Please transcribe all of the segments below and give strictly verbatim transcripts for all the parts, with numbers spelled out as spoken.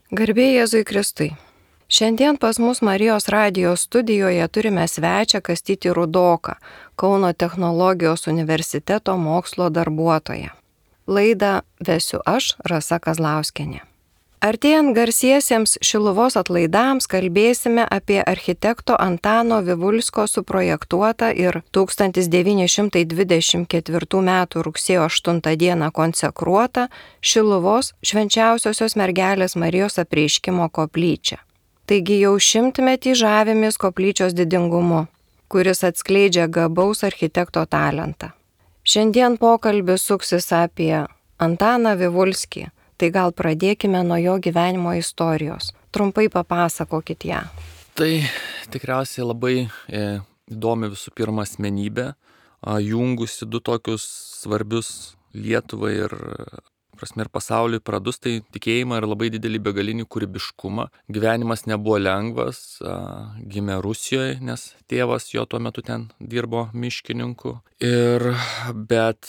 Garbė Jėzui Kristui. Šiandien pas mus Marijos radijos studijoje turime svečią Kastytį Rudoką, Kauno technologijos universiteto mokslo darbuotoją. Laidą vesiu aš, Rasa Kazlauskienė. Artėjant garsiesiems Šiluvos atlaidams kalbėsime apie architekto Antano Vivulskio suprojektuotą ir tūkstantis devyni šimtai dvidešimt ketvirtų metų rugsėjo aštuntą dieną konsekruotą Šiluvos Švenčiausiosios Mergelės Marijos apreiškimo koplyčią. Taigi jau šimtmetį žavimės koplyčios didingumu, kuris atskleidžia gabaus architekto talentą. Šiandien pokalbis suksis apie Antaną Vivulskį. Tai gal pradėkime nuo jo gyvenimo istorijos. Trumpai papasakokit ją. Tai tikriausiai labai e, įdomi visų pirma asmenybė, a, jungusi du tokius svarbius Lietuvai ir, prasme, ir pasauliui pradus, tai tikėjimą ir labai didelį begalinį kūrybiškumą. Gyvenimas nebuvo lengvas, a, gimė Rusijoje, nes tėvas jo tuo metu ten dirbo miškininku. Ir, bet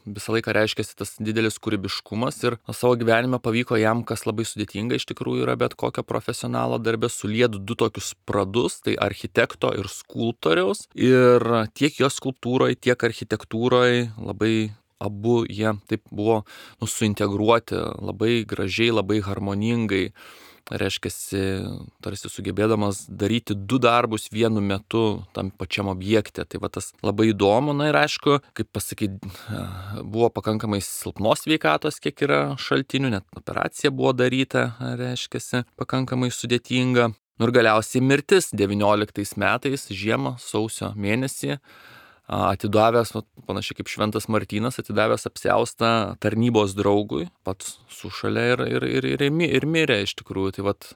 visą laiką reiškėsi tas didelis kūrybiškumas ir savo gyvenime pavyko jam, kas labai sudėtinga iš tikrųjų yra bet kokio profesionalo darbė, suliet du tokius pradus, tai architekto ir skulptoriaus. Ir tiek jo skulptūroje, tiek architektūroje labai abu jie taip buvo nu, suintegruoti labai gražiai, labai harmoningai. Reiškiasi, tarsi sugebėdamas daryti du darbus vienu metu tam pačiam objekte. Tai va tas labai įdomu. Na ir aišku, kaip pasakyti, buvo pakankamai silpnos sveikatos, kiek yra šaltinių, net operacija buvo daryta, reiškiasi, pakankamai sudėtinga. Nu ir galiausiai mirtis devynioliktais metais, žiemą, sausio mėnesį, atidavęs, panašiai kaip Šventas Martynas, atidavęs apsiaustą tarnybos draugui, pats sušalė ir, ir, ir, ir, ir mirė iš tikrųjų. Tai vat,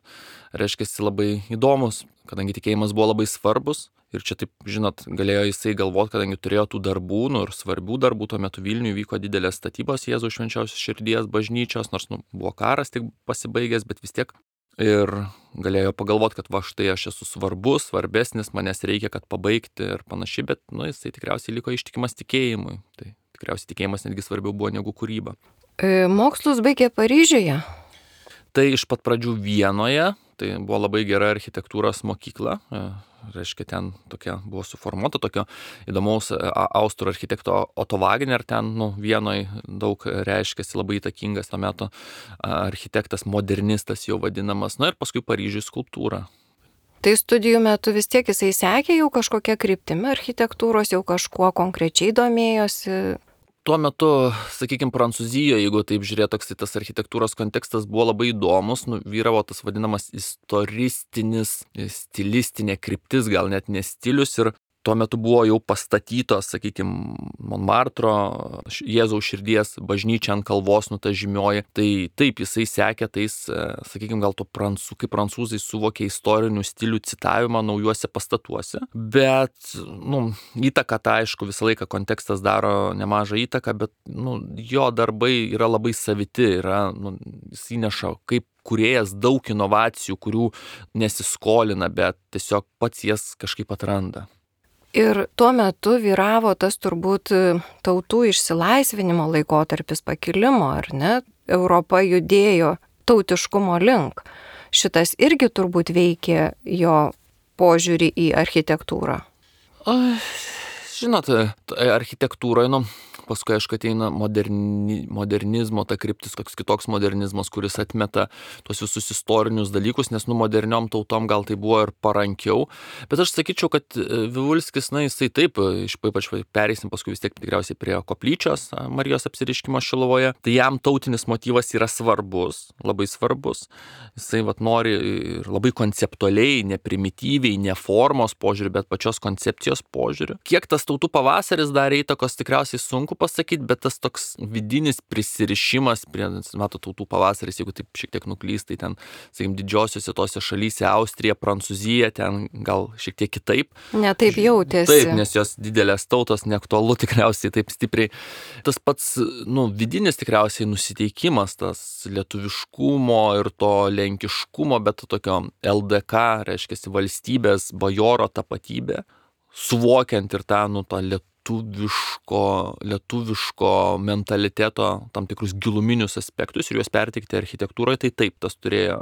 reiškiasi labai įdomus, kadangi tikėjimas buvo labai svarbus ir čia taip, žinot, galėjo jisai galvoti, kadangi turėjo tų darbų, nu ir svarbių darbų, tuo metu Vilniuje vyko didelės statybos Jėzaus Švenčiausios Širdies bažnyčios, nors nu, buvo karas tik pasibaigęs, bet vis tiek. Ir galėjo pagalvoti, kad va štai aš esu svarbus, svarbesnis, manęs reikia, kad pabaigti ir panašiai, bet nu, jisai tikriausiai liko ištikimas tikėjimui. Tai tikriausiai tikėjimas netgi svarbiau buvo negu kūryba. E, mokslus baigė Paryžiuje? Tai iš pat pradžių Vienoje, tai buvo labai gera architektūros mokykla. Reiškia, ten tokia buvo suformuota, tokio įdomaus austrų architekto Otto Wagner, ten nu, Vienoje daug reiškiasi, labai įtakingas tuo metu architektas, modernistas jau vadinamas, na ir paskui Paryžiuje skulptūra. Tai studijų metu vis tiek jisai sekė jau kažkokia kryptimi architektūros, jau kažkuo konkrečiai domėjosi? Tuo metu, sakykime, Prancūzijoje, jeigu taip žiūrėt, toks tas architektūros kontekstas buvo labai įdomus, nu, vyravo tas vadinamas istoristinis, stilistinė kryptis, gal net ne stilius, ir tuo metu buvo jau pastatytos, sakykime, Montmartro Jėzaus Širdies bažnyčia ant kalvos, nu ta žymioji. Tai taip, jisai sekė tais, sakykime, gal to prancūzų, kaip prancūzai suvokė istorinių stilių citavimą naujuose pastatuose. Bet, nu, įtaka, tai aišku, visą laiką kontekstas daro nemažą įtaką, bet, nu, jo darbai yra labai saviti, yra, nu, jis įneša kaip kūrėjas daug inovacijų, kurių nesiskolina, bet tiesiog pats jas kažkaip atranda. Ir tuo metu vyravo tas turbūt tautų išsilaisvinimo laikotarpis, pakilimo, ar ne? Europa judėjo tautiškumo link. Šitas irgi turbūt veikė jo požiūrį į architektūrą. O, žinot, architektūroje, nu, paskui, aišku, ateina moderni, modernizmo, ta kryptis, koks kitoks modernizmas, kuris atmeta tuos visus istorinius dalykus, nes nu moderniom tautom gal tai buvo ir parankiau. Bet aš sakyčiau, kad Vivulskis, na, jisai taip, ypač pereisim paskui vis tiek tikriausiai prie koplyčios Marijos apsireiškimo Šiluvoje, tai jam tautinis motyvas yra svarbus, labai svarbus. Jisai vat nori ir labai konceptualiai, ne primityviai, ne formos požiūrį, bet pačios koncepcijos požiūrį. Kiek tas tautų pavasaris darė įtakos, tikriausiai sunku pasakyti, bet tas toks vidinis prisirišimas prie, mato, tautų pavasaris, jeigu taip šiek tiek nuklys, tai ten, sakykim, didžiosiuose tose šalyse, Austrija, Prancūzija, ten gal šiek tiek kitaip. Ne taip jautėsi. Taip, nes jos didelės tautos, neaktualu tikriausiai taip stipriai. Tas pats, nu, vidinis tikriausiai nusiteikimas, tas lietuviškumo ir to lenkiškumo, bet tokio L D K, reiškia valstybės, bajoro tapatybė, suvokiant ir tą, nu, tą lietuviško, lietuviško mentaliteto tam tikrus giluminius aspektus ir juos perteikti architektūroje, tai taip, tas turėjo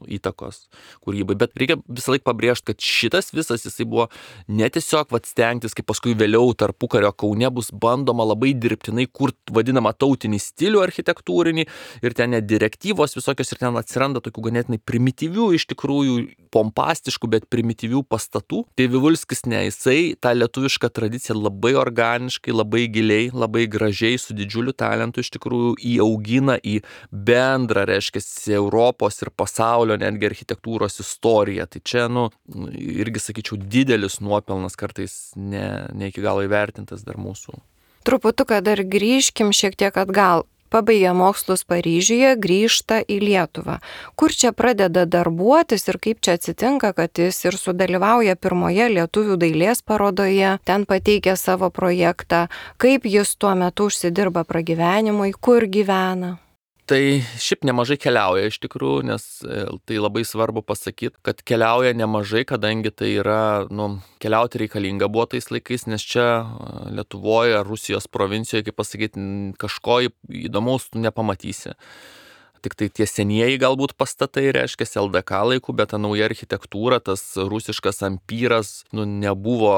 įtakos kūrybai. Bet reikia visą laiką pabrėžti, kad šitas visas jisai buvo ne tiesiog vat, stengtis, kaip paskui vėliau tarpukario Kaune bus bandoma labai dirbtinai kurti vadinamą tautinį stilių architektūrinį ir ten net direktyvos visokios ir ten atsiranda tokių ganėtinai primityvių, iš tikrųjų pompastiškų, bet primityvių pastatų. Tai Vivulskis ne, jisai tą lietuvišką tradiciją labai organiškai, labai giliai, labai gražiai, su didžiuliu talentu iš tikrųjų įaugina į bendrą, reiškia, Europos ir pasaulio netgi architektūros istoriją. Tai čia, nu, irgi sakyčiau, didelis nuopelnas, kartais ne, ne iki galo įvertintas dar mūsų. Truputuką dar grįžkim šiek tiek atgal. Pabaigė mokslus Paryžiuje, grįžta į Lietuvą. Kur čia pradeda darbuotis ir kaip čia atsitinka, kad jis ir sudalyvauja pirmoje lietuvių dailės parodoje, ten pateikia savo projektą, kaip jis tuo metu užsidirba pragyvenimui, kur gyvena? Tai šiaip nemažai keliauja iš tikrųjų, nes tai labai svarbu pasakyti, kad keliauja nemažai, kadangi tai yra, nu, keliauti reikalinga buvo tais laikais, nes čia Lietuvoje, Rusijos provincijoje, kaip pasakyti, kažko įdomaus tu nepamatysi. Tik tai tie senieji galbūt pastatai, reiškia, L D K laikų, bet ta nauja architektūra, tas rusiškas ampyras, nu, nebuvo,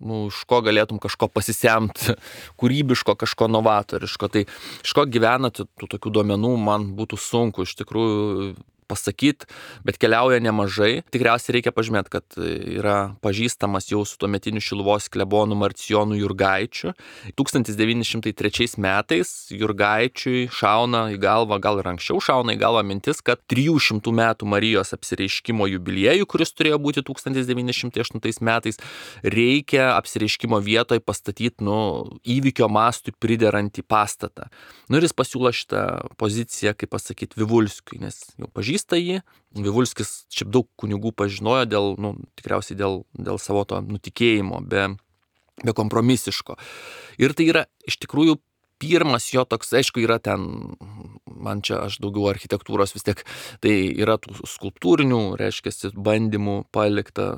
nu, iš ko galėtum kažko pasisemti, kūrybiško, kažko novatoriško. Tai iš ko gyvenate, tų tokių duomenų man būtų sunku iš tikrųjų pasakyti, bet keliauja nemažai. Tikriausiai reikia pažymėti, kad yra pažįstamas jau su tuometiniu Šiluvos klebonu Marcijonu Jurgaičiu. tūkstantis devyni šimtai trečiais metais Jurgaičiui šauna į galvą, gal ir anksčiau šauna į galvą mintis, kad trijų šimtų metų Marijos apsireiškimo jubiliejų, kuris turėjo būti tūkstantis devyni šimtai aštuntais metais, reikia apsireiškimo vietoje pastatyti, nu, įvykio mastui priderantį pastatą. Nu ir jis pasiūlo šitą poziciją, kaip pasakyti, Vivulskiui, nes jau pažįsta jį. Vivulskis šiaip daug kunigų pažinojo dėl, nu, tikriausiai dėl, dėl savo to nutikėjimo, be, be kompromisiško. Ir tai yra iš tikrųjų pirmas jo toks, aišku, yra ten, man čia aš daugiau architektūros vis tiek, tai yra tų skulptūrinių, reiškia, bandymų palikta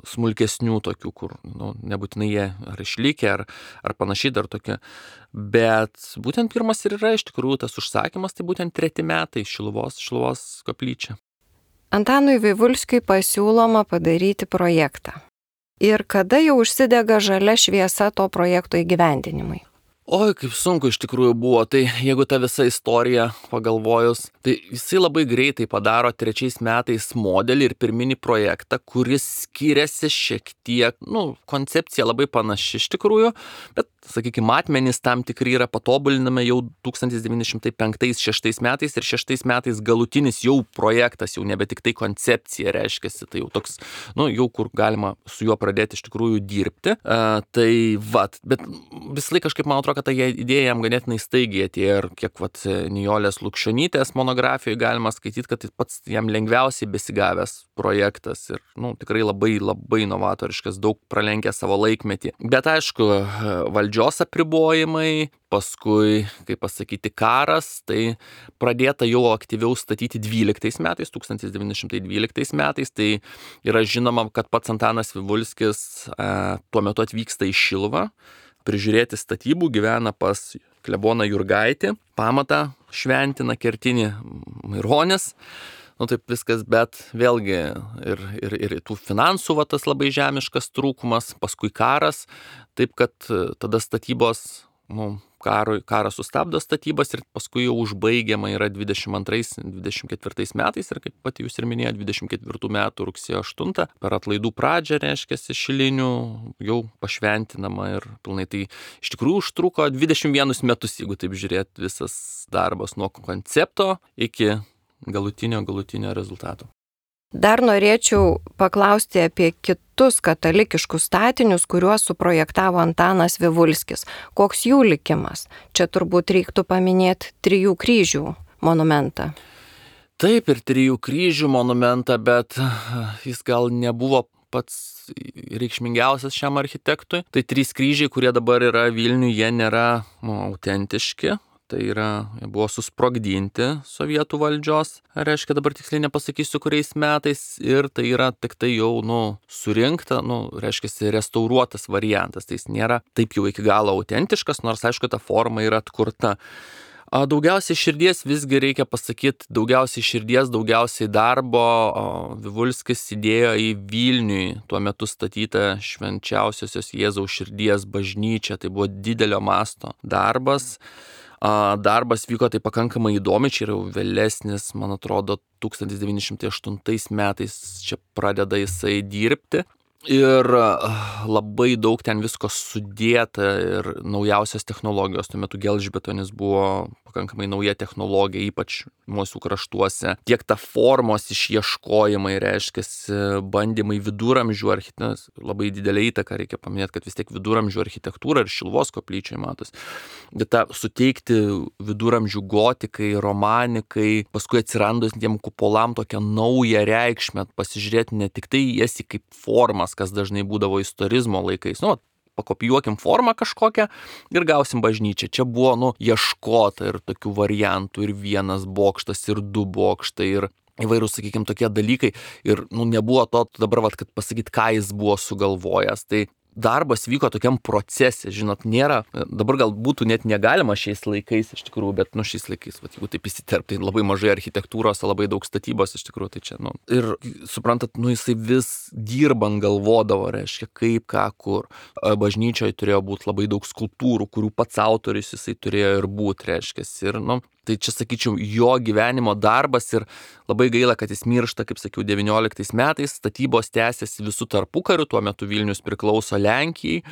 smulkesnių tokių, kur, nu, nebūtinai jie ar išlikę, ar, ar panašiai dar tokie. Bet būtent pirmas ir yra iš tikrųjų tas užsakymas, tai būtent treti metai Šiluvos, Šiluvos koplyčia. Antanui Vivulskiui pasiūloma padaryti projektą. Ir kada jau užsidega žalia šviesa to projekto įgyvendinimui? Oi, kaip sunku iš tikrųjų buvo, tai jeigu ta visa istorija pagalvojus, tai jisai labai greitai padaro trečiais metais modelį ir pirminį projektą, kuris skiriasi šiek tiek, nu, koncepcija labai panaši iš tikrųjų, bet, sakykime, matmenys tam tikri yra patobulinami jau tūkstantis devyni šimtai penktais šeštais metais ir šeštais metais galutinis jau projektas, jau nebe tik tai koncepcija reiškiasi, tai jau toks, nu, jau kur galima su juo pradėti iš tikrųjų dirbti. Uh, tai vat, bet vis laik kažkaip man atrodo, kad ta idėja jam ganėtinai staigiai atėjo ir kiek vat Nijolės Lukšionytės monografijoje galima skaityti, kad tai pats jam lengviausiai besigavęs projektas ir, nu, tikrai labai labai novatoriškas, daug pralenkė savo laikmetį. Bet aišku, valdžios apribojimai, paskui, kaip pasakyti, karas, tai pradėta jau aktyviau statyti dvyliktais metais, tūkstantis devyni šimtai dvyliktais metais, tai yra žinoma, kad pats Antanas Vivulskis e, tuo metu atvyksta į Šiluvą, prižiūrėti statybų, gyvena pas kleboną Jurgaitį, pamatą šventina, kertinį Maironis, nu taip viskas, bet vėlgi ir, ir, ir tų finansų va, tas labai žemiškas trūkumas, paskui karas, taip kad tada statybos, nu, karo, karas sustabdo statybas ir paskui jau užbaigiama yra dvidešimt antrais dvidešimt ketvirtais metais ir kaip pati jūs ir minėjote, dvidešimt ketvirtų metų rugsėjo aštuntą per atlaidų pradžią, reiškia, Šilinių jau pašventinama ir pilnai. Tai iš tikrųjų užtruko dvidešimt vienus metus, jeigu taip žiūrėt, visas darbas nuo koncepto iki galutinio, galutinio rezultato. Dar norėčiau paklausti apie kitus katalikiškus statinius, kuriuos suprojektavo Antanas Vivulskis. Koks jų likimas? Čia turbūt reiktų paminėti Trijų kryžių monumentą. Taip, ir Trijų kryžių monumentą, bet jis gal nebuvo pats reikšmingiausias šiam architektui. Tai trys kryžiai, kurie dabar yra Vilniuje, jie nėra, nu, autentiški. tai yra buvo susprogdinti sovietų valdžios, reiškia dabar tiksliai nepasakysiu kuriais metais, ir tai yra tik tai jau, nu, surinkta, nu, reiškia restauruotas variantas, tai jis nėra taip jau iki galo autentiškas, nors aišku ta forma yra atkurta. Daugiausiai širdies visgi reikia pasakyti, daugiausiai širdies, daugiausiai darbo Vivulskis įdėjo į Vilniui tuo metu statytą Švenčiausiosios Jėzaus širdies bažnyčią. Tai buvo didelio masto darbas. Darbas vyko tai pakankamai įdomi, čia yra vėlesnis, man atrodo, tūkstantis devyni šimtai aštuntais metais čia pradeda jisai dirbti. Ir labai daug ten visko sudėta ir naujausios technologijos. Tuo metu gelžbetonis buvo pakankamai nauja technologija, ypač mūsų kraštuose. Tiek ta formos išieškojimai, reiškia, bandymai viduramžių architektūros, labai didelė įtaka, reikia paminėti, kad vis tiek viduramžių architektūra ir Šiluvos koplyčioje matos. Bet tą suteikti viduramžių gotikai, romanikai, paskui atsirandus tiem kupolam tokią naują reikšmę, pasižiūrėti ne tik tai jas kaip formas, kas dažnai būdavo istorizmo laikais. Nu, pakopijuokim formą kažkokią ir gausim bažnyčią. Čia buvo, nu, ieškota ir tokių variantų, ir vienas bokštas, ir du bokštai, ir įvairūs, sakykime, tokie dalykai. Ir, nu, nebuvo to dabar, vat, kad pasakyti, ką jis buvo sugalvojęs. Tai darbas vyko tokiam procese, žinot, nėra, dabar gal būtų net negalima šiais laikais iš tikrųjų, bet, nu, šiais laikais, vat, jeigu taip įsiterpti, tai labai mažai architektūros, labai daug statybos iš tikrųjų, tai čia, nu, ir suprantat, nu, jisai vis dirbant galvodavo, reiškia, kaip, ką, kur. Bažnyčioje turėjo būti labai daug skulptūrų, kurių pats autorius jisai turėjo ir būti, reiškia, ir, nu, tai čia, sakyčiau, jo gyvenimo darbas ir labai gaila, kad jis miršta, kaip sakiau, devynioliktais metais, statybos tęsiasi visų tarpukariu, tuo metu Vilnius priklauso Lenkijai,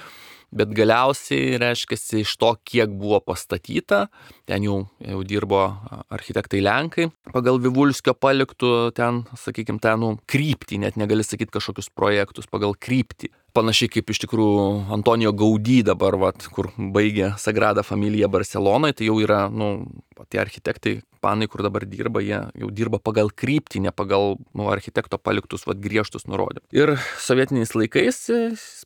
bet galiausiai, reiškia, iš to, kiek buvo pastatyta, ten jau, jau dirbo architektai Lenkai, pagal Vivulskio paliktų ten, sakykime, ten, nu, kryptį, net negali sakyti kažkokius projektus, pagal kryptį. Panašiai kaip iš tikrųjų Antonijo Gaudí dabar, vat, kur baigė Sagrada Familija Barcelonoje, tai jau yra, nu, tie architektai, panai, kur dabar dirba, jie jau dirba pagal kryptį, ne pagal, nu, architekto paliktus, vat, griežtus nurodymus. Ir sovietiniais laikais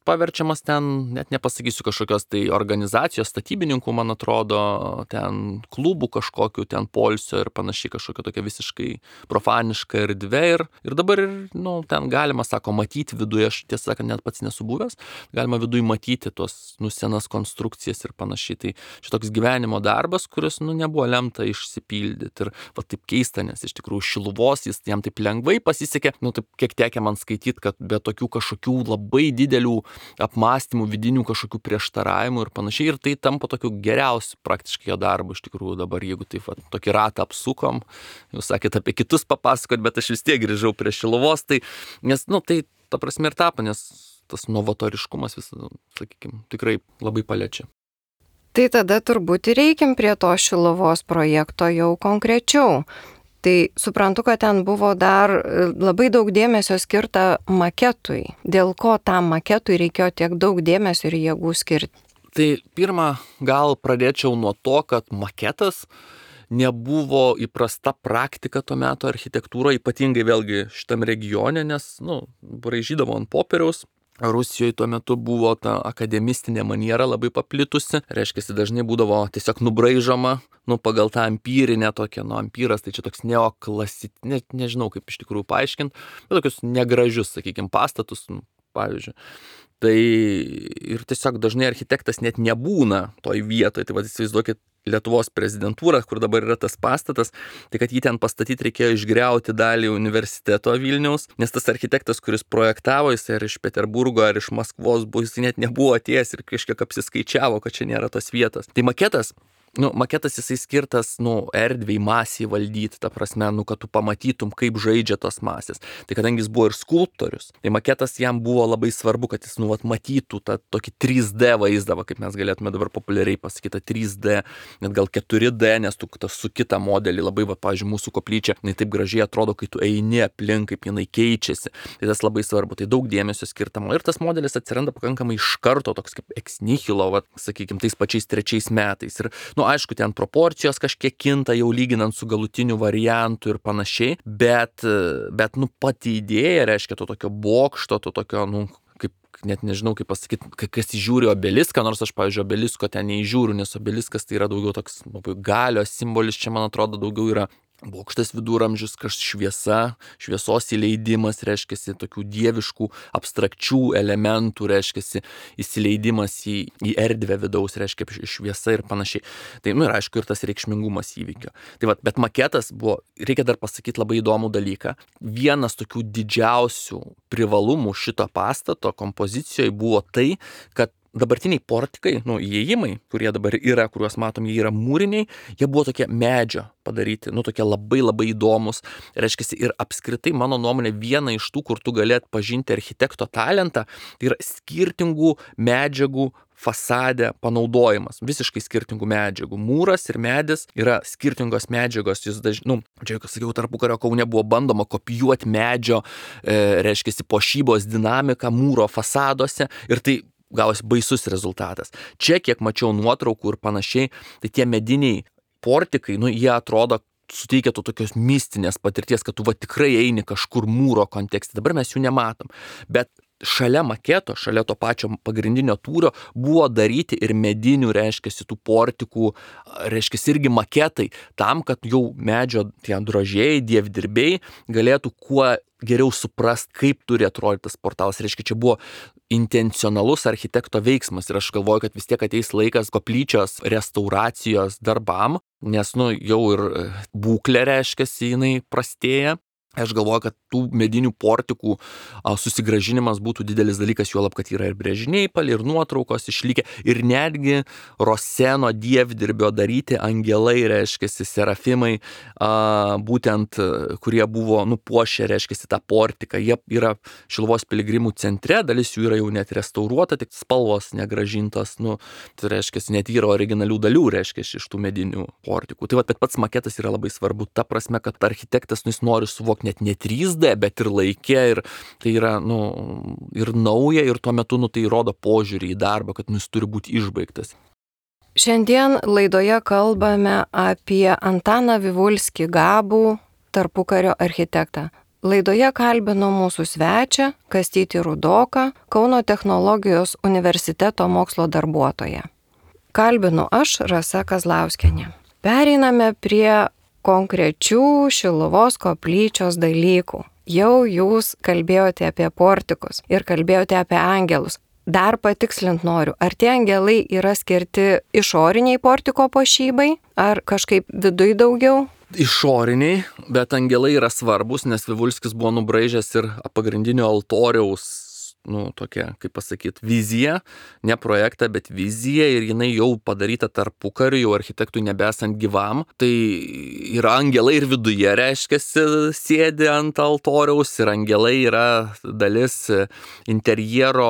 paverčiamas ten, net nepasakysiu, kažkokios tai organizacijos, statybininkų, man atrodo, ten klubų kažkokių, ten poilsio ir panašiai, kažkokia tokia visiškai profaniška erdvė. Ir, ir dabar, nu, ten galima, sako, matyti viduje, aš tiesą sakant, net pats nesu buvęs, galima viduje matyti tuos, nu, senas konstrukcijas ir panašiai. Tai čia toks gyvenimo darbas, kuris, nu, nebuvo lemta išsipildyti. Ir va taip keista, nes iš tikrųjų Šiluvos jis jam taip lengvai pasisekė, nu taip kiek tekia man skaityti, kad be tokių kažkokių labai didelių apmąstymų, vidinių kažkokių prieštaravimų ir panašiai, ir tai tampa tokiu geriausiu praktiškai jo darbu iš tikrųjų dabar, jeigu taip va, tokį ratą apsukom, jūs sakėt apie kitus papasakot, bet aš vis tiek grįžau prie Šiluvos, tai, nes, nu, tai ta prasme ir tapo, nes tas novatoriškumas vis, sakykime, tikrai labai paliečia. Tai tada turbūt ir reikim prie to Šiluvos projekto jau konkrečiau. Tai suprantu, kad ten buvo dar labai daug dėmesio skirta maketui. Dėl ko tam maketui reikėjo tiek daug dėmesio ir jėgų skirti? Tai pirmą, gal pradėčiau nuo to, kad maketas nebuvo įprasta praktika tuo metu architektūra, ypatingai vėlgi šitam regione, nes, nu, braižydavo ant popieriaus. Rusijoje tuo metu buvo ta akademistinė maniera labai paplitusi, reiškia, dažnai būdavo tiesiog nubraižoma, nu, pagal tą empirinę tokią, nu, empiras, tai čia toks neoklasit, ne, nežinau kaip iš tikrųjų paaiškinti, bet tokius negražius, sakykime, pastatus, nu, pavyzdžiui. Tai ir tiesiog dažnai architektas net nebūna toj vietoje, tai vad įsivaizduokit Lietuvos prezidentūrą, kur dabar yra tas pastatas, tai kad jį ten pastatyti reikėjo išgriauti dalį universiteto Vilniaus, nes tas architektas, kuris projektavo, jis ar iš Peterburgo, ar iš Maskvos, buvo, jis net nebuvo atėjęs ir kažkiek apsiskaičiavo, kad čia nėra tos vietos. Tai maketas, nu, maketas jisai skirtas, nu, erdviai, masiai valdyti, ta prasme, nu, kad tu pamatytum, kaip žaidžia tos masės. Tai kadangi jis buvo ir skulptorius, tai maketas jam buvo labai svarbu, kad jis, nu, vat, matytų tą tokį trys D vaizdą, kaip mes galėtume dabar populiariai pasakyti, trys D, net gal keturi D, nes tu tas su kitą modelį labai, va, pavyzdžiui, mūsų koplyčia, jinai taip gražiai atrodo, kai tu eini aplink, kaip jinai keičiasi. Tai tas labai svarbu, tai daug dėmesio skirtama. Ir tas modelis atsiranda pakankamai iš karto, toks kaip ex nihilo, va, sakykime, tais pačiais trečiais metais. Ir, nu, aišku, ten proporcijos kažkiek kinta jau lyginant su galutiniu variantu ir panašiai, bet, bet, nu, pati idėja, reiškia, to tokio bokšto, to tokio, nu, kaip, net nežinau kaip pasakyti, kas įžiūri obeliską, nors aš, pavyzdžiui, obelisko ten neįžiūriu, nes obeliskas tai yra daugiau toks galios simbolis, čia man atrodo daugiau yra bokštas viduramžius, kažkas šviesa, šviesos įleidimas, reiškiasi, tokių dieviškų, abstrakčių elementų, reiškiasi, įsileidimas į, į erdvę vidaus, reiškia šviesa ir panašiai. Tai, nu ir aišku, ir tas reikšmingumas įvykio. Tai va, bet maketas buvo, reikia dar pasakyti labai įdomų dalyką. Vienas tokių didžiausių privalumų šito pastato kompozicijoje buvo tai, kad dabartiniai portikai, nu, įėjimai, kurie dabar yra, kuriuos matom, jie yra mūriniai, jie buvo tokie medžio padaryti, nu, tokie labai labai įdomus. Reiškia, ir apskritai, mano nuomonė, viena iš tų, kur tu galėt pažinti architekto talentą, tai yra skirtingų medžiagų fasadė panaudojimas, visiškai skirtingų medžiagų. Mūras ir medis yra skirtingos medžiagos, jūs dažnai, nu, čia, kaip sakiau, tarpukario Kaune buvo bandoma kopijuoti medžio, e, reiškia, puošybos dinamiką mūro fasaduose ir tai gavosi baisus rezultatas. Čia, kiek mačiau nuotraukų ir panašiai, tai tie mediniai portikai, nu, jie atrodo, suteikia tu tokios mistinės patirties, kad tu va tikrai eini kažkur mūro kontekste. Dabar mes jų nematom. Bet šalia maketo, šalia to pačio pagrindinio tūrio buvo daryti ir medinių, reiškia, tų portikų, reiškia, irgi maketai, tam, kad jau medžio tie drožėjai, dievdirbiai galėtų kuo geriau suprast, kaip turi atrodyti tas portalas. Reiškia, čia buvo intencionalus architekto veiksmas ir aš galvoju, kad vis tiek ateis laikas koplyčios restauracijos darbam, nes, nu, jau ir būklė, reiškia, jinai prastėja. Aš galvoju, kad tų medinių portikų a, susigražinimas būtų didelis dalykas, juolab, kad yra ir brėžiniai palei, ir nuotraukos išlikę, ir netgi Roseno dievdirbio daryti angelai, reiškia, serafimai, a, būtent, kurie buvo nupuošę, reiškia, tą portiką. Jie yra Šiluvos piligrimų centre, dalis jų yra jau net restauruota, tik spalvos negražintos, nu, tai reiškia, net yra originalių dalių, reiškia, iš tų medinių portikų. Tai va, bet pats maketas yra labai svarbu, ta prasme, kad architektas, nu, jis nori suvokti net ne trys D, bet ir laikė, ir tai yra, nu, ir nauja, ir tuo metu, nu, tai rodo požiūrį į darbą, kad, nu, jis turi būti išbaigtas. Šiandien laidoje kalbame apie Antaną Vivulskį, gabų tarpukario architektą. Laidoje kalbino mūsų svečią Kastytį Rudoką, Kauno technologijos universiteto mokslo darbuotoją. Kalbinu aš, Rasa Kazlauskienė. Pereiname prie konkrečių Šiluvos koplyčios dalykų. Jau jūs kalbėjote apie portikus ir kalbėjote apie angelus. Dar patikslint noriu, ar tie angelai yra skirti išoriniai portiko puošybai, ar kažkaip viduj daugiau? Išoriniai, bet angelai yra svarbus, nes Vivulskis buvo nubraižęs ir pagrindinio altoriaus, nu, tokia, kaip pasakyti, vizija, ne projektą, bet vizija, ir jinai jau padaryta tarpukariu, jau architektui nebesant gyvam. Tai yra angelai ir viduje, reiškia, sėdi ant altoriaus, ir angelai yra dalis interjero,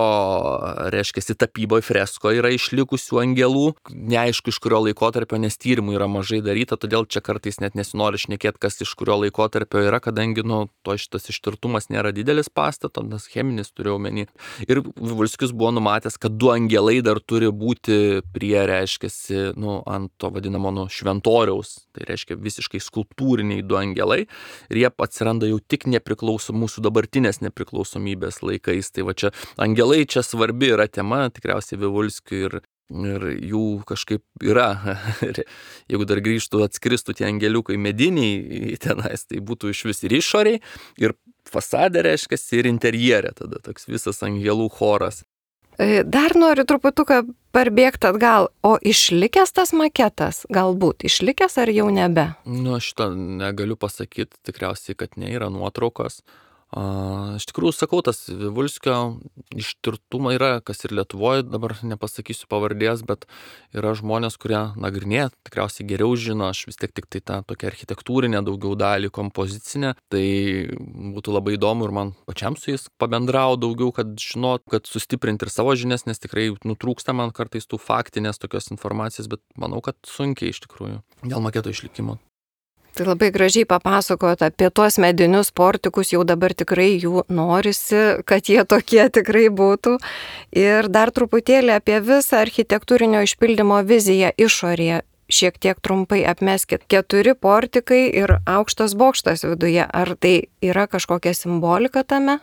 reiškia, tapyboje, freskoje yra išlikusių angelų. Neaišku, iš kurio laikotarpio, nes tyrimų yra mažai daryta, todėl čia kartais net nesinori šnekėti, kas iš kurio laikotarpio yra, kadangi, nu, to šitas ištirtumas nėra didelis pastato, nes cheminis turiu omeny. Ir Vivulskis buvo numatęs, kad du angelai dar turi būti prie, reiškiasi, nu, ant to vadinamo, nu, šventoriaus, tai reiškia visiškai skulptūriniai du angelai, ir jie atsiranda jau tik nepriklausom mūsų dabartinės nepriklausomybės laikais. Tai va čia angelai čia svarbi yra tema, tikriausiai Vivulskiui, ir ir jų kažkaip yra. Jeigu dar grįžtų, atskristų tie angeliukai mediniai tenais, tai būtų iš vis ir išoriai, ir fasadė, reiškia, ir interjerė, tada toks visas angelų choras. Dar noriu truputuką parbėgti atgal, o išlikęs tas maketas, galbūt išlikęs ar jau nebe? Nu, aš šito negaliu pasakyti, tikriausiai, kad ne, yra nuotraukos. A, iš tikrųjų, sakau, tas Vivulskio ištirtumą yra, kas ir Lietuvoje, dabar nepasakysiu pavardės, bet yra žmonės, kurie nagrinėja, tikriausiai geriau žino, aš vis tiek tik tai tą tokią architektūrinę daugiau dalį, kompozicinę, tai būtų labai įdomu ir man pačiam su jais pabendrau daugiau, kad žinot, kad sustiprinti ir savo žinias, nes tikrai nutrūksta man kartais tų faktinės tokios informacijos, bet manau, kad sunkiai iš tikrųjų dėl maketo išlikimo. Tai labai gražiai papasakot apie tuos medinius portikus, jau dabar tikrai jų norisi, kad jie tokie tikrai būtų. Ir dar truputėlį apie visą architektūrinio išpildymo viziją išorėje. Šiek tiek trumpai apmeskit. Keturi portikai ir aukštas bokštas viduje. Ar tai yra kažkokia simbolika tame?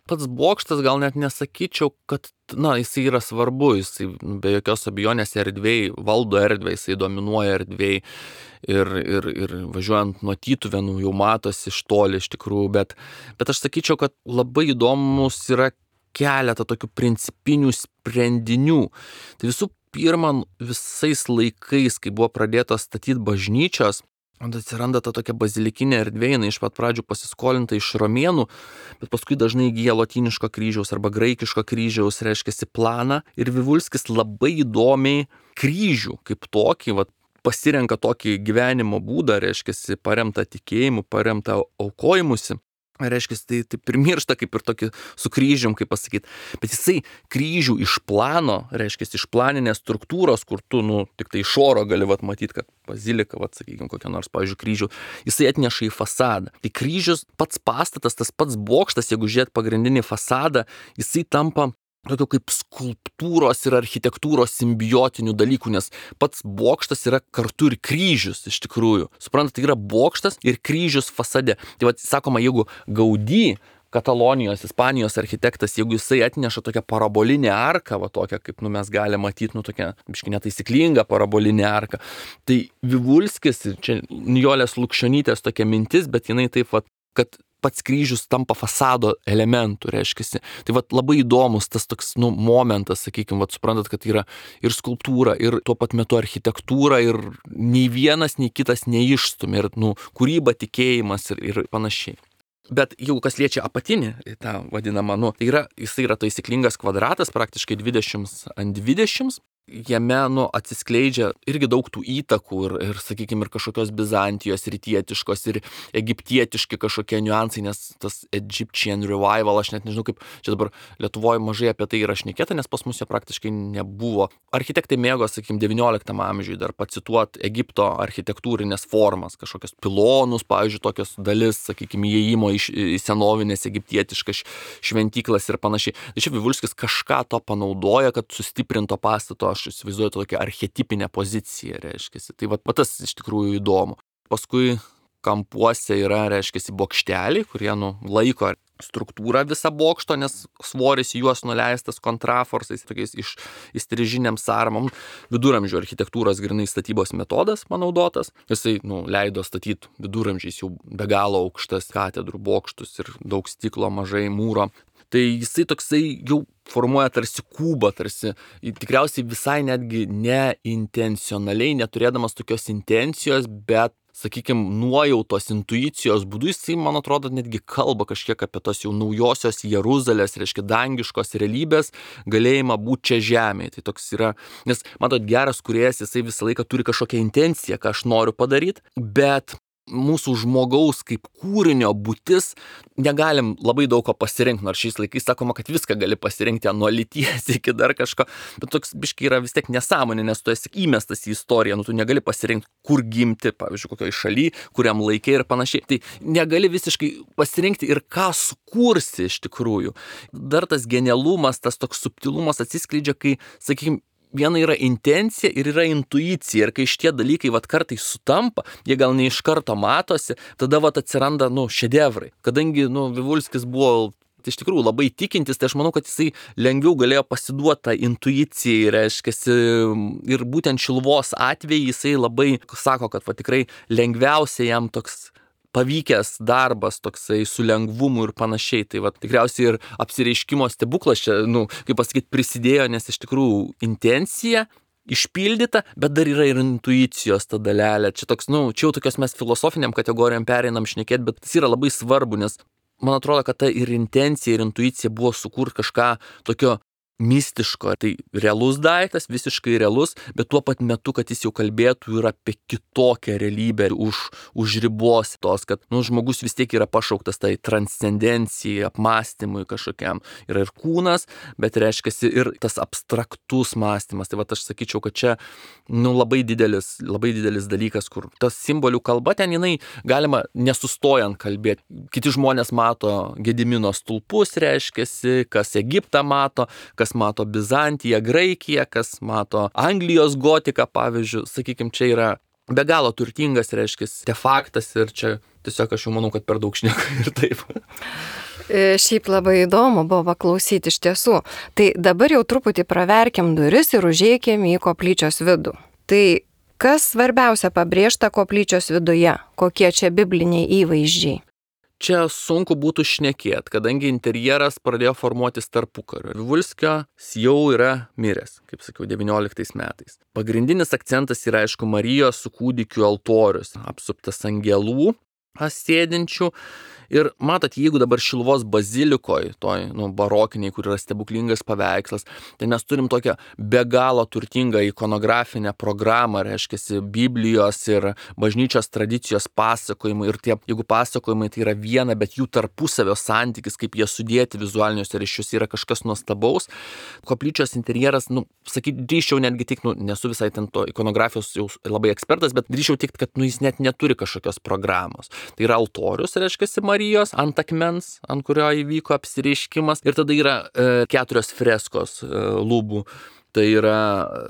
pats bokštas gal net nesakyčiau, kad, na, jisai yra svarbu, jisai be jokios abejonės erdvėj, valdo erdvę, jisai dominuoja erdvėj ir, ir, ir važiuojant nuo Tytuvėnų jau matosi iš toli iš tikrųjų, bet, bet aš sakyčiau, kad labai įdomus yra keletą tokių principinių sprendinių. Tai visų pirma, visais laikais, kai buvo pradėtos statyti bažnyčios, atsiranda ta tokia bazilikinė erdvė, jinai iš pat pradžių pasiskolinta iš romėnų, bet paskui dažnai įgyja lotyniško kryžiaus arba graikiško kryžiaus, reiškiasi planą. Ir Vivulskis labai įdomiai kryžių kaip tokį, vat, pasirenka tokį gyvenimo būdą, reiškiasi paremtą tikėjimu, paremtą aukojimusi. Reiškia, tai, tai primiršta kaip ir tokį su kryžium, kaip pasakyti. Bet jisai kryžių iš plano, reiškia, iš planinės struktūros, kur tu, nu, tik tai iš oro gali vat, matyti, kad bazilika, vat, sakykime, kokia nors, pavyzdžiui, kryžių, jisai atneša į fasadą. Tai kryžius, pats pastatas, tas pats bokštas, jeigu žiūrėt pagrindinį fasadą, jisai tampa tokio kaip skulptūros ir architektūros simbiotinių dalykų, nes pats bokštas yra kartu ir kryžius iš tikrųjų. Suprantate, tai yra bokštas ir kryžius fasade. Tai vad, sakoma, jeigu Gaudí, Katalonijos, Ispanijos architektas, jeigu jisai atneša tokią parabolinę arką, va tokią, kaip nu, mes galime matyti, nu tokią, biškai netaisyklingą parabolinę arką, tai Vivulskis, čia Nijolės Lukšionytės tokia mintis, bet jinai taip, va, kad pats kryžius tampa fasado elementų, reiškiasi. Tai vat labai įdomus tas toks, nu, momentas, sakykime, vat suprantat, kad yra ir skulptūra, ir tuo pat metu architektūra, ir nei vienas, nei kitas neišstumia, ir, nu, kūryba, tikėjimas ir, ir panašiai. Bet jau kas liečia apatinį, tą vadinamą, nu, tai yra, jisai yra taisyklingas kvadratas, praktiškai dvidešimt ant dvidešimt. Jame, nu, atsiskleidžia irgi daug tų įtakų ir, ir sakykime, ir kažkokios Bizantijos, rytietiškos ir egiptietiški kažkokie niuansai, nes tas Egyptian Revival, aš net nežinau kaip, čia dabar Lietuvoje mažai apie tai yra šnekėta, nes pas mus jo praktiškai nebuvo. Architektai mėgo, sakykime, devynioliktam amžiui dar pacituoti Egipto architektūrinės formas, kažkokios pilonus, pavyzdžiui, tokios dalis, sakykime, įėjimo į, į senovinės egiptietiškas šventyklas ir panašiai. Tai čia Vivulskis kažką to panaudoja, kad sustiprinto pastato, aš įsivaizduoju tokią archetipinę poziciją, reiškiasi. Tai va tas iš tikrųjų įdomu. Paskui kampuose yra, reiškiasi, bokšteliai, kurie, nu, laiko struktūrą visą bokšto, nes svoris juos nuleistas kontraforsais, tokiais iš įstrižiniam sarmam. Viduramžių architektūros grynai statybos metodas panaudotas. Jisai, nu, leido statyti viduramžiais jau be galo aukštas katedrų bokštus ir daug stiklo, mažai mūro. Tai jisai toksai jau formuoja tarsi kubą, tarsi tikriausiai visai netgi neintencionaliai, neturėdamas tokios intencijos, bet, sakykime, nuojautos, intuicijos būdu jisai, man atrodo, netgi kalba kažkiek apie tos jau naujosios Jeruzalės, reiškia, dangiškos realybės galėjimą būti čia žemėje. Tai toks yra, nes, matot, geras kūrėjas, jisai visą laiką turi kažkokią intenciją, ką aš noriu padaryti, bet mūsų žmogaus kaip kūrinio būtis negalim labai daug ko pasirinkti, nors šiais laikais sakoma, kad viską gali pasirinkti nuo lyties iki dar kažko, bet toks biškai yra vis tiek nesąmonė, nes tu esi įmestas į istoriją, nu tu negali pasirinkti, kur gimti, pavyzdžiui, kokioj šaly, kuriam laikė ir panašiai. Tai negali visiškai pasirinkti ir ką sukursi iš tikrųjų. Dar tas genialumas, tas toks subtilumas atsiskleidžia, kai, sakykime, viena yra intencija ir yra intuicija. Ir kai šitie dalykai vat kartais sutampa, jie gal ne iš karto matosi, tada vat atsiranda, nu, šedevrai. Kadangi, nu, Vivulskis buvo iš tikrųjų labai tikintis, tai aš manau, kad jisai lengviau galėjo pasiduoti tą intuicijai, reiškiasi, ir būtent Šiluvos atveju jisai labai sako, kad va tikrai lengviausia jam toks pavykęs darbas toksai su lengvumu ir panašiai. Tai va tikriausiai ir apsireiškimo stebuklas čia, nu, kaip pasakyti, prisidėjo, nes iš tikrųjų intencija išpildyta, bet dar yra ir intuicijos ta dalelė. Čia toks, nu, čia jau tokios mes filosofiniam kategorijam pereinam šnekėti, bet tas yra labai svarbu, nes man atrodo, kad ta ir intencija, ir intuicija buvo sukurti kažką tokio mistiško. Tai realus daiktas, visiškai realus, bet tuo pat metu, kad jis jau kalbėtų ir apie kitokią realybę už, už ribos tos, kad, nu, žmogus vis tiek yra pašauktas tai transcendencijai, apmąstymui kažkokiam. Yra ir kūnas, bet reiškiasi ir tas abstraktus mąstymas. Tai va aš sakyčiau, kad čia, nu, labai didelis, labai didelis dalykas, kur tas simbolių kalba ten jinai galima nesustojant kalbėti. Kiti žmonės mato Gedimino stulpus, reiškiasi, kas Egiptą mato, kas mato Bizantiją, Graikiją, kas mato Anglijos gotiką, pavyzdžiui, sakykime, čia yra be galo turtingas, reiškia, artefaktas ir čia tiesiog aš jau manau, kad per daug šneku ir taip. Šiaip labai įdomu buvo klausyti iš tiesų. Tai dabar jau truputį praverkim duris ir užeikim į koplyčios vidų. Tai kas svarbiausia pabrėžta koplyčios viduje? Kokie čia bibliniai įvaizdžiai? Čia sunku būtų šnekėti, kadangi interjeras pradėjo formuotis tarpukariu. Vivulskio jau yra miręs, kaip sakiau, devynioliktais metais. Pagrindinis akcentas yra, aišku, Marijos su kūdikiu altorius, apsuptas angelų sėdinčių. Ir matot, jeigu dabar Šiluvos bazilikoje, toj nu, barokiniai, kur yra stebuklingas paveikslas, tai mes turim tokią be galo turtingą ikonografinę programą, reiškia, Biblijos ir bažnyčios tradicijos pasakojimai. Ir tie, jeigu pasakojimai tai yra viena, bet jų tarpusavio santykis, kaip jie sudėti vizualiniuose ryšiuose, yra kažkas nuostabaus. Koplyčios interjeras, nu, sakyti, drįščiau netgi tik, nu, nesu visai ten to ikonografijos jau labai ekspertas, bet drįščiau tik, kad nu, jis net neturi kažkokios programos. Tai yra altorius, reiškia, Marijos ant akmens, ant kurio įvyko apsireiškimas. Ir tada yra e, keturios freskos e, lubų. Tai yra,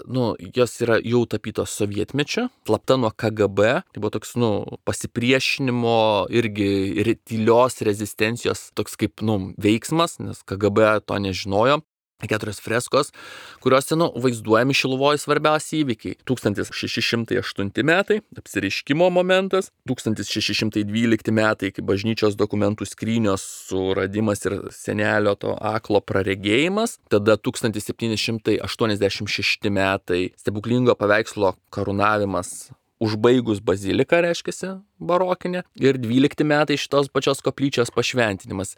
nu, jos yra jau tapytos sovietmečio, slapta nuo K G B. Tai buvo toks, nu, pasipriešinimo irgi ir tylios rezistencijos toks kaip, nu, veiksmas, nes K G B to nežinojo. Keturios freskos, kuriuose, nu, vaizduojami Šiluvoje svarbiausi įvykiai. tūkstantis šeši šimtai aštunti metai, apsireiškimo momentas, tūkstantis šeši šimtai dvylikti metai, kai bažnyčios dokumentų skrynios suradimas ir senelio to aklo praregėjimas, tada tūkstantis septyni šimtai aštuoniasdešimt šešti metai, stebuklingo paveikslo karūnavimas užbaigus baziliką, reiškia, barokinę, ir dvylikti metai šitos pačios koplyčios pašventinimas.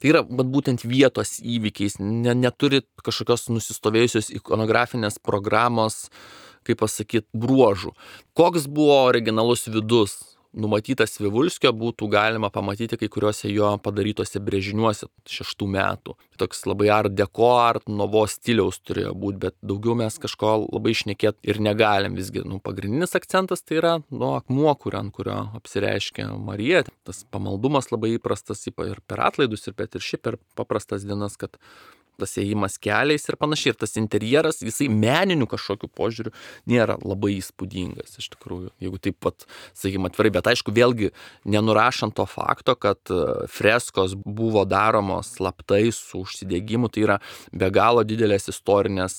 Tai yra būtent vietos įvykiais, ne, neturi kažkokios nusistovėjusios ikonografinės programos, kaip pasakyti, bruožų. Koks buvo originalus vidus numatytas Vivulskio, būtų galima pamatyti kai kuriuose jo padarytose brėžiniuose šeštų metų. Toks labai art deco, art novo stiliaus turėjo būti, bet daugiau mes kažko labai šnekėti ir negalim. Visgi, nu, pagrindinis akcentas tai yra, nu, akmuo, kur, ant kurio apsireiškia Marija. Tas pamaldumas labai įprastas ir per atlaidus, ir bet ir šiaip per paprastas dienas, kad tas ėjimas keliais ir panašiai. Ir tas interjeras, jisai meninių kažkokių požiūrių nėra labai įspūdingas, iš tikrųjų, jeigu taip pat, sakykime, atvirai. Bet aišku, vėlgi, nenurašant to fakto, kad freskos buvo daromos slaptai su užsidegimu, tai yra be galo didelės istorinės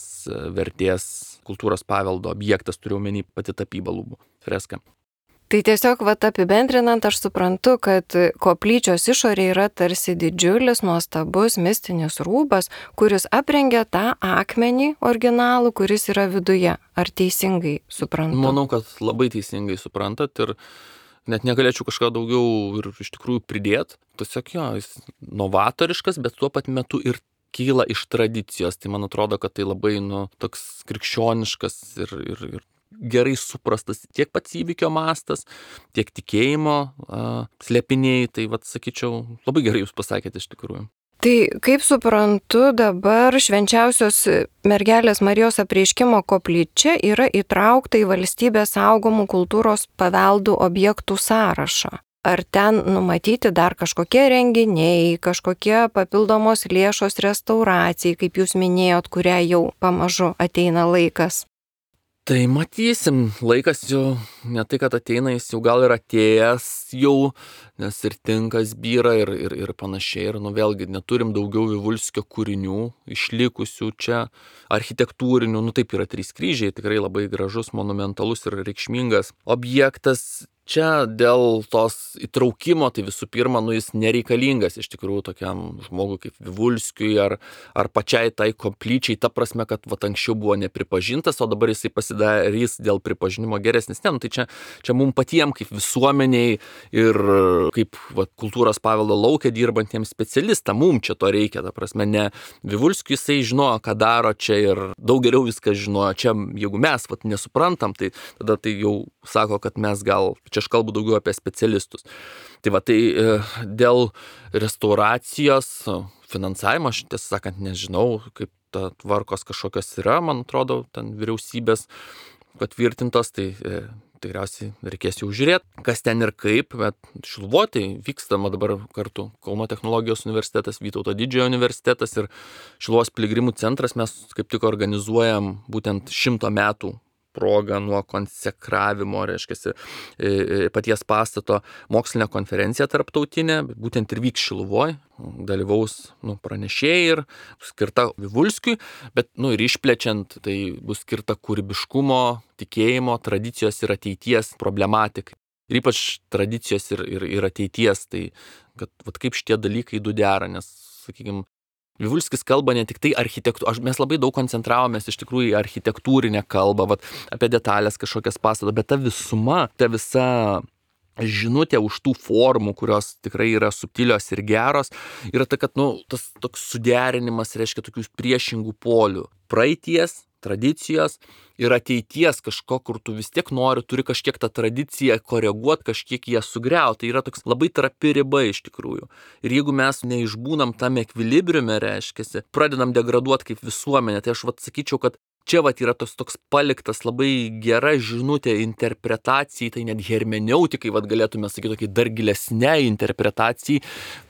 vertės kultūros paveldo objektas, turiu omeny pati tapyba lubų freska. Tai tiesiog, vat, apibendrinant, aš suprantu, kad koplyčios išorė yra tarsi didžiulis, nuostabus, mistinis rūbas, kuris aprengia tą akmenį originalų, kuris yra viduje. Ar teisingai suprantu? Manau, kad labai teisingai suprantat ir net negalėčiau kažką daugiau ir iš tikrųjų pridėti. Tiesiog jo, jis novatoriškas, bet tuo pat metu ir kyla iš tradicijos. Tai man atrodo, kad tai labai, nu, toks krikščioniškas ir, ir, ir gerai suprastas tiek pats įvykio mastas, tiek tikėjimo a, slėpiniai, tai, vat, sakyčiau, labai gerai jūs pasakėte iš tikrųjų. Tai kaip suprantu, dabar švenčiausios mergelės Marijos apreiškimo koplyčia yra įtraukta į valstybės saugomų kultūros paveldų objektų sąrašą. Ar ten numatyti dar kažkokie renginiai, kažkokie papildomos lėšos restauracijai, kaip jūs minėjot, kurią jau pamažu ateina laikas? Tai matysim, laikas jau ne tai, kad ateina, jis jau gal ir atėjęs jau, nes ir tinkas byra ir, ir, ir panašiai. Ir nu vėlgi neturim daugiau Vivulskio kūrinių išlikusių čia, architektūrinių, nu taip yra trys kryžiai, tikrai labai gražus, monumentalus ir reikšmingas objektas. Čia dėl tos įtraukimo, tai visų pirma, nu jis nereikalingas iš tikrųjų tokiam žmogui kaip Vivulskiui ar, ar pačiai tai koplyčiai, ta prasme, kad vat, anksčiau buvo nepripažintas, o dabar jisai pasidarys dėl pripažinimo geresnis. Ne, nu, tai čia, čia mums patiems kaip visuomeniai ir kaip vat, kultūros paveldo laukia dirbantiems specialistams, mums čia to reikia, ta prasme, ne Vivulskiui jisai žinojo, ką daro čia ir daug geriau viską žinojo. Čia, jeigu mes vat, nesuprantam, tai tada tai jau sako, kad mes gal, čia aš kalbu daugiau apie specialistus. Tai va, tai e, dėl restauracijos finansavimo, aš tiesą sakant nežinau, kaip ta tvarkos kažkokios yra, man atrodo, ten vyriausybės patvirtintos, tai e, tikriausiai reikės jau žiūrėti, kas ten ir kaip, bet Šiluvoj tai vykstama dabar kartu Kauno technologijos universitetas, Vytauto Didžiojo universitetas ir Šiluvos piligrimų centras, mes kaip tik organizuojam būtent šimto metų proga nuo konsekravimo, reiškia, paties pastato mokslinė konferencija tarptautinė, būtent ir vyks Šiluvoj, dalyvaus nu, pranešėjai ir skirta Vivulskiui, bet nu, ir išplečiant, tai bus skirta kūrybiškumo, tikėjimo, tradicijos ir ateities problematikai. Ir ypač tradicijos ir, ir, ir ateities, tai kad vat, kaip šitie dalykai du dera, nes, sakykime, Vivulskis kalba ne tik tai architektūrą, mes labai daug koncentravomės iš tikrųjų į architektūrinę kalbą, vat, apie detalės kažkokias pastato, bet ta visuma, ta visa žinutė už tų formų, kurios tikrai yra subtilios ir geros, yra ta, kad nu, tas toks suderinimas reiškia tokius priešingų polių. Praeities, tradicijos ir ateities kažko, kur tu vis tiek nori, turi kažkiek tą tradiciją koreguoti, kažkiek ją sugriauti. Tai yra toks labai trapi riba iš tikrųjų. Ir jeigu mes neišbūnam tam ekvilibriume, reiškia, pradedam degraduoti kaip visuomenė, tai aš vat sakyčiau, kad čia vat yra toks, toks paliktas labai gera žinutė interpretacijai, tai net hermeneutikai, vat galėtume sakyti, tokiai dar gilesniai interpretacijai,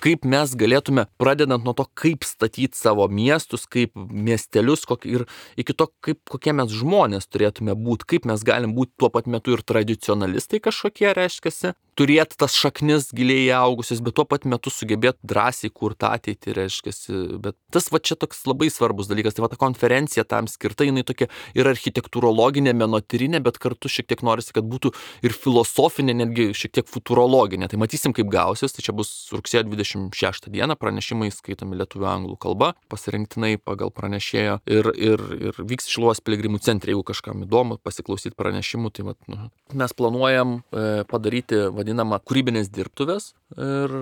kaip mes galėtume, pradedant nuo to, kaip statyti savo miestus, kaip miestelius kokį, ir iki to, kaip, kokie mes žmonės turėtume būti, kaip mes galim būti tuo pat metu ir tradicionalistai kažkokie, reiškiasi, turėti tas šaknis giliai augusias, bet tuo pat metu sugebėti drąsiai kurti ateitį, reiškiasi. Bet tas va čia toks labai svarbus dalykas. Tai va ta konferencija tam skirta, jinai tokia ir architektūrologinė, menotyrinė, bet kartu šiek tiek norisi, kad būtų ir filosofinė, netgi šiek tiek futurologinė. Tai matysim, kaip gausis. Tai čia bus rugsėjo dvidešimt šeštą dieną, pranešimai skaitomi lietuvių anglų kalba, pasirinktinai pagal pranešėjo ir, ir, ir vyks Šiluvos piligrimų centre, jeigu kažkam įdomu pasiklausyti pranešimų. Tai va, nu, mes planuojam e, padaryti vadinama kūrybinės dirbtuvės ir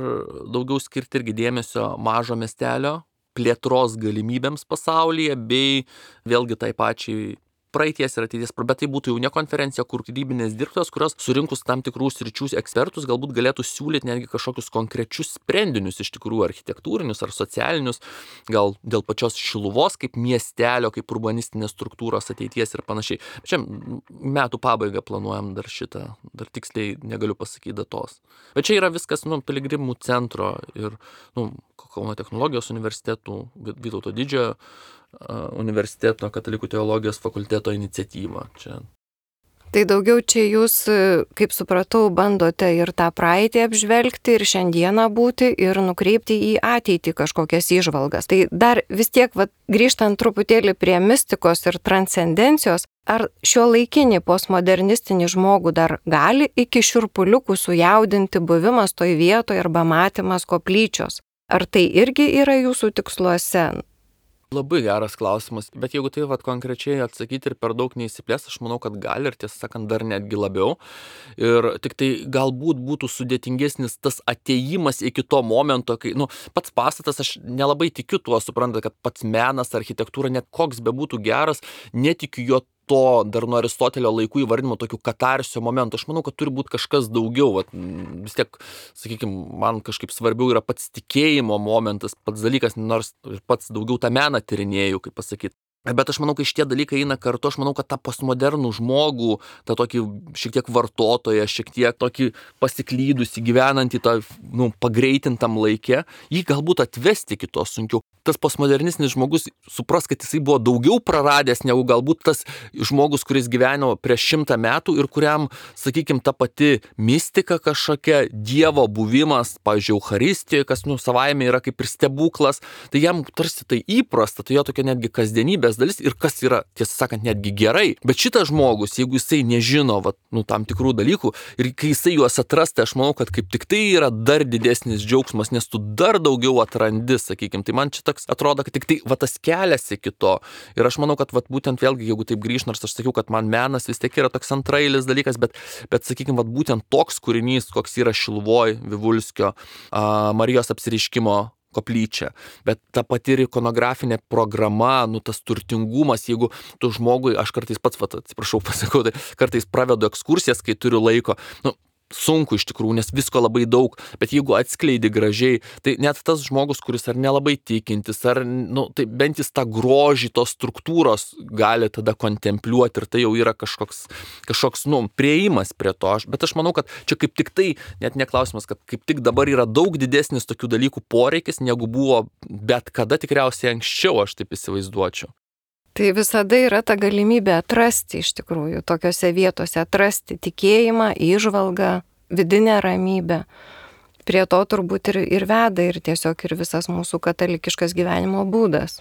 daugiau skirti irgi dėmesio mažo miestelio plėtros galimybėms pasaulyje, bei vėlgi tai pačiai praeities ir ateities, bet tai būtų jau ne konferencija, kur kūrybinės dirbtuvės, kurios surinkus tam tikrų sričių ekspertus galbūt galėtų siūlyti netgi kažkokius konkrečius sprendinius iš tikrųjų architektūrinius ar socialinius, gal dėl pačios Šiluvos kaip miestelio, kaip urbanistinės struktūros ateities ir panašiai. Čia metų pabaigą planuojam dar šitą, dar tiksliai negaliu pasakyti datos. Bet čia yra viskas, nu, piligrimų centro ir, nu, Kauno technologijos universitetų, Vytauto Didžiojo universiteto katalikų teologijos fakulteto iniciatyva. Čia. Tai daugiau čia jūs, kaip supratau, bandote ir tą praeitį apžvelgti, ir šiandieną būti, ir nukreipti į ateitį kažkokias įžvalgas. Tai dar vis tiek, vat, grįžtant truputėlį prie mistikos ir transcendencijos, ar šio laikinį postmodernistinį žmogų dar gali iki šiurpuliukų sujaudinti buvimas toj vietoje arba matymas koplyčios? Ar tai irgi yra jūsų tiksluose? Labai geras klausimas, bet jeigu tai vat, konkrečiai atsakyti ir per daug neįsiplės, aš manau, kad gali ir tiesą sakant dar netgi labiau. Ir tik tai galbūt būtų sudėtingesnis tas atėjimas iki to momento, kai, nu, pats pastatas, aš nelabai tikiu tuo, suprantate, kad pats menas, architektūra, net koks bebūtų geras, netikiu jo to dar nuo Aristotelio laikų įvardinimo tokių katarsio momentų. Aš manau, kad turi būti kažkas daugiau. Vat, vis tiek, sakykime, man kažkaip svarbiau yra pats tikėjimo momentas, pats dalykas, nors pats daugiau tą meną tyrinėjau, kaip pasakyti. Bet aš manau, kai šitie dalykai eina kartu, aš manau, kad tą postmodernų žmogų, tą tokį šiek tiek vartotoją, šiek tiek tokį pasiklydusį, gyvenantį tą, nu, pagreitintam laike, jį galbūt atvesti iki to sunkiau. Tas postmodernistinis žmogus supras, kad jisai buvo daugiau praradęs negu galbūt tas žmogus, kuris gyveno prieš šimtą metų ir kuriam, sakykime, ta pati mistika kažkokia, Dievo buvimas, pavyzdžiui, Eucharistijoje, kas, nu, savaime yra kaip ir stebuklas, tai jam tarsi tai įprasta, tai jo tokia netgi kasdienybės dalis ir kas yra, tiesą sakant, netgi gerai. Bet šitas žmogus, jeigu jisai nežino, va, nu, tam tikrų dalykų ir kai jisai juos atras, tai aš manau, kad kaip tik tai yra dar didesnis džiaugsmas, nes tu dar daugiau atrandi, sakykime. Tai man čia toks atrodo, kad tik tai va tas kelias iki to. Ir aš manau, kad va, būtent vėlgi, jeigu taip grįž, nors aš sakiau, kad man menas vis tiek yra toks antrailis dalykas, bet, bet sakykime, va, būtent toks kūrinys, koks yra Šiluvoj, Vivulskio, a, Marijos apsireiškimo koplyčia, bet ta pati ikonografinė programa, nu tas turtingumas, jeigu tu žmogui, aš kartais pats, va, atsiprašau, pasakau, tai kartais pravedu ekskursijas, kai turiu laiko, nu, sunku iš tikrųjų, nes visko labai daug, bet jeigu atskleidi gražiai, tai net tas žmogus, kuris ar nelabai tikintis, ar, nu, tai bent jis tą grožį tos struktūros gali tada kontempliuoti ir tai jau yra kažkoks, kažkoks, nu, prieimas prie to. Aš, bet aš manau, kad čia kaip tik tai, net neklausimas, kad kaip tik dabar yra daug didesnis tokių dalykų poreikis, negu buvo bet kada tikriausiai anksčiau, aš taip įsivaizduočiau. Tai visada yra ta galimybė atrasti iš tikrųjų, tokiose vietose atrasti tikėjimą, įžvalgą, vidinę ramybę. Prie to turbūt ir, ir veda ir tiesiog ir visas mūsų katalikiškas gyvenimo būdas.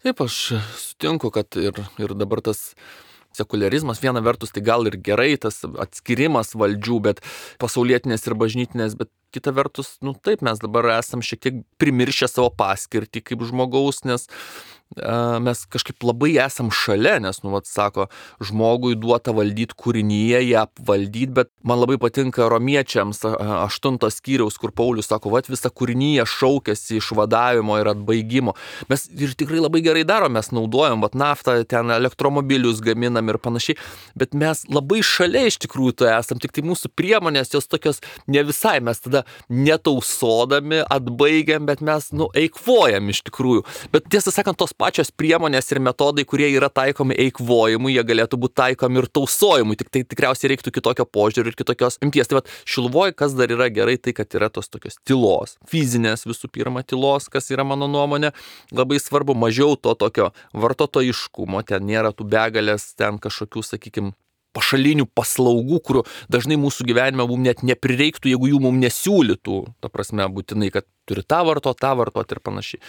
Taip, aš sutinku, kad ir, ir dabar tas sekuliarizmas viena vertus tai gal ir gerai, tas atskirimas valdžių, bet pasaulietinės ir bažnytinės, bet kita vertus, nu taip, mes dabar esam šiek tiek primiršę savo paskirtį kaip žmogaus, nes uh, mes kažkaip labai esam šalia, nes, nu, vat, sako, žmogui duota valdyti kūrinyje, ją valdyti, bet man labai patinka romiečiams aštuntos skyriaus, kur Paulius sako, vat visa kūrinyje šaukėsi išvadavimo ir atbaigimo. Mes ir tikrai labai gerai darom, mes naudojam, vat naftą, ten elektromobilius gaminam ir panašiai, bet mes labai šalia iš tikrųjų to esam, tik tai mūsų priemonės, jos tokios ne visai, mes tada netausodami, atbaigiam, bet mes, nu, eikvojam iš tikrųjų. Bet tiesą sakant, tos pačios priemonės ir metodai, kurie yra taikomi eikvojimui, jie galėtų būti taikomi ir tausojimui, tik tai tikriausiai reiktų kitokio požiūrio ir kitokios imties. Tai vat Šiluvoj, kas dar yra gerai, tai kad yra tos tokios tylos, fizinės visų pirma tylos, kas yra mano nuomonė, labai svarbu, mažiau to tokio vartotojiškumo, ten nėra tų begalės, ten kažkokių, sakykime, pašalinių paslaugų, kurių dažnai mūsų gyvenime mums net neprireiktų, jeigu jų mums nesiūlytų, ta prasme, būtinai, kad turi tą vartot, tą vartot ir panašiai.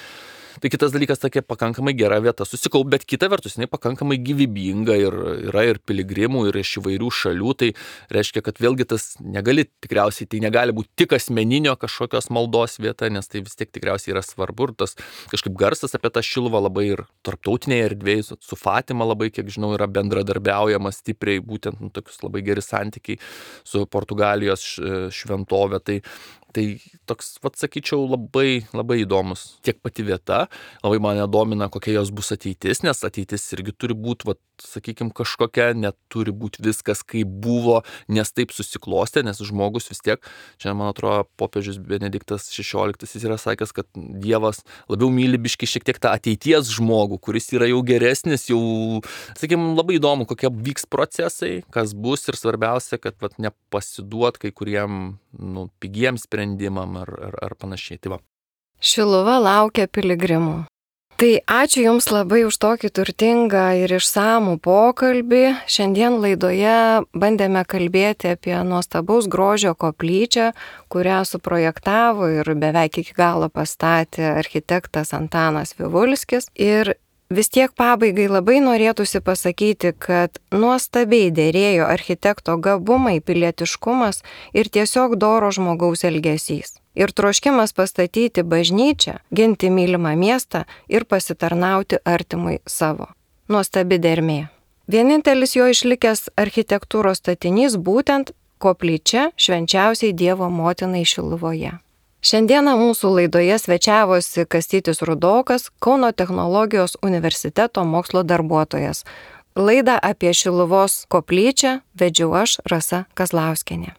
Tai kitas dalykas, tokia pakankamai gera vieta susikaup, bet kita vertus, jinai pakankamai gyvybinga ir yra ir piligrimų, ir iš įvairių šalių, tai reiškia, kad vėlgi tas negali, tikriausiai tai negali būti tik asmeninio kažkokios maldos vieta, nes tai vis tiek tikriausiai yra svarbu ir tas kažkaip garsas apie tą Šiluvą labai ir tarptautinėje erdvėje, su Fatima labai, kiek žinau, yra bendradarbiaujama stipriai, būtent nu, tokius labai geri santykiai su Portugalijos šventovė, tai Tai toks, vat, sakyčiau, labai, labai įdomus tiek pati vieta, labai mane domina, kokia jos bus ateitis, nes ateitis irgi turi būti, vat, sakykime, kažkokia, neturi būti viskas kaip buvo, nes taip susiklostė, nes žmogus vis tiek, čia man atrodo, popiežius Benediktas šešioliktas jis yra sakęs, kad Dievas labiau myli biški šiek tiek tą ateities žmogų, kuris yra jau geresnis, jau, sakykime, labai įdomu, kokie vyks procesai, kas bus ir svarbiausia, kad vat, nepasiduot kai kuriem nu, pigiems sprendimam ar, ar, ar panašiai. Tai va. Šiluva laukia piligrimų. Tai ačiū Jums labai už tokį turtingą ir išsamų pokalbį. Šiandien laidoje bandėme kalbėti apie nuostabaus grožio koplyčią, kurią suprojektavo ir beveik iki galo pastatė architektas Antanas Vivulskis. Ir vis tiek pabaigai labai norėtųsi pasakyti, kad nuostabiai dėrėjo architekto gabumai, pilietiškumas ir tiesiog doro žmogaus elgesys. Ir troškimas pastatyti bažnyčią, ginti mylimą miestą ir pasitarnauti artimui savo. Nuostabi dermė. Vienintelis jo išlikęs architektūros statinys būtent koplyčia švenčiausiai Dievo motinai Šiluvoje. Šiandieną mūsų laidoje svečiavosi Kastytis Rudokas, Kauno technologijos universiteto mokslo darbuotojas. Laidą apie Šiluvos koplyčią vedžiau aš, Rasa Kazlauskienė.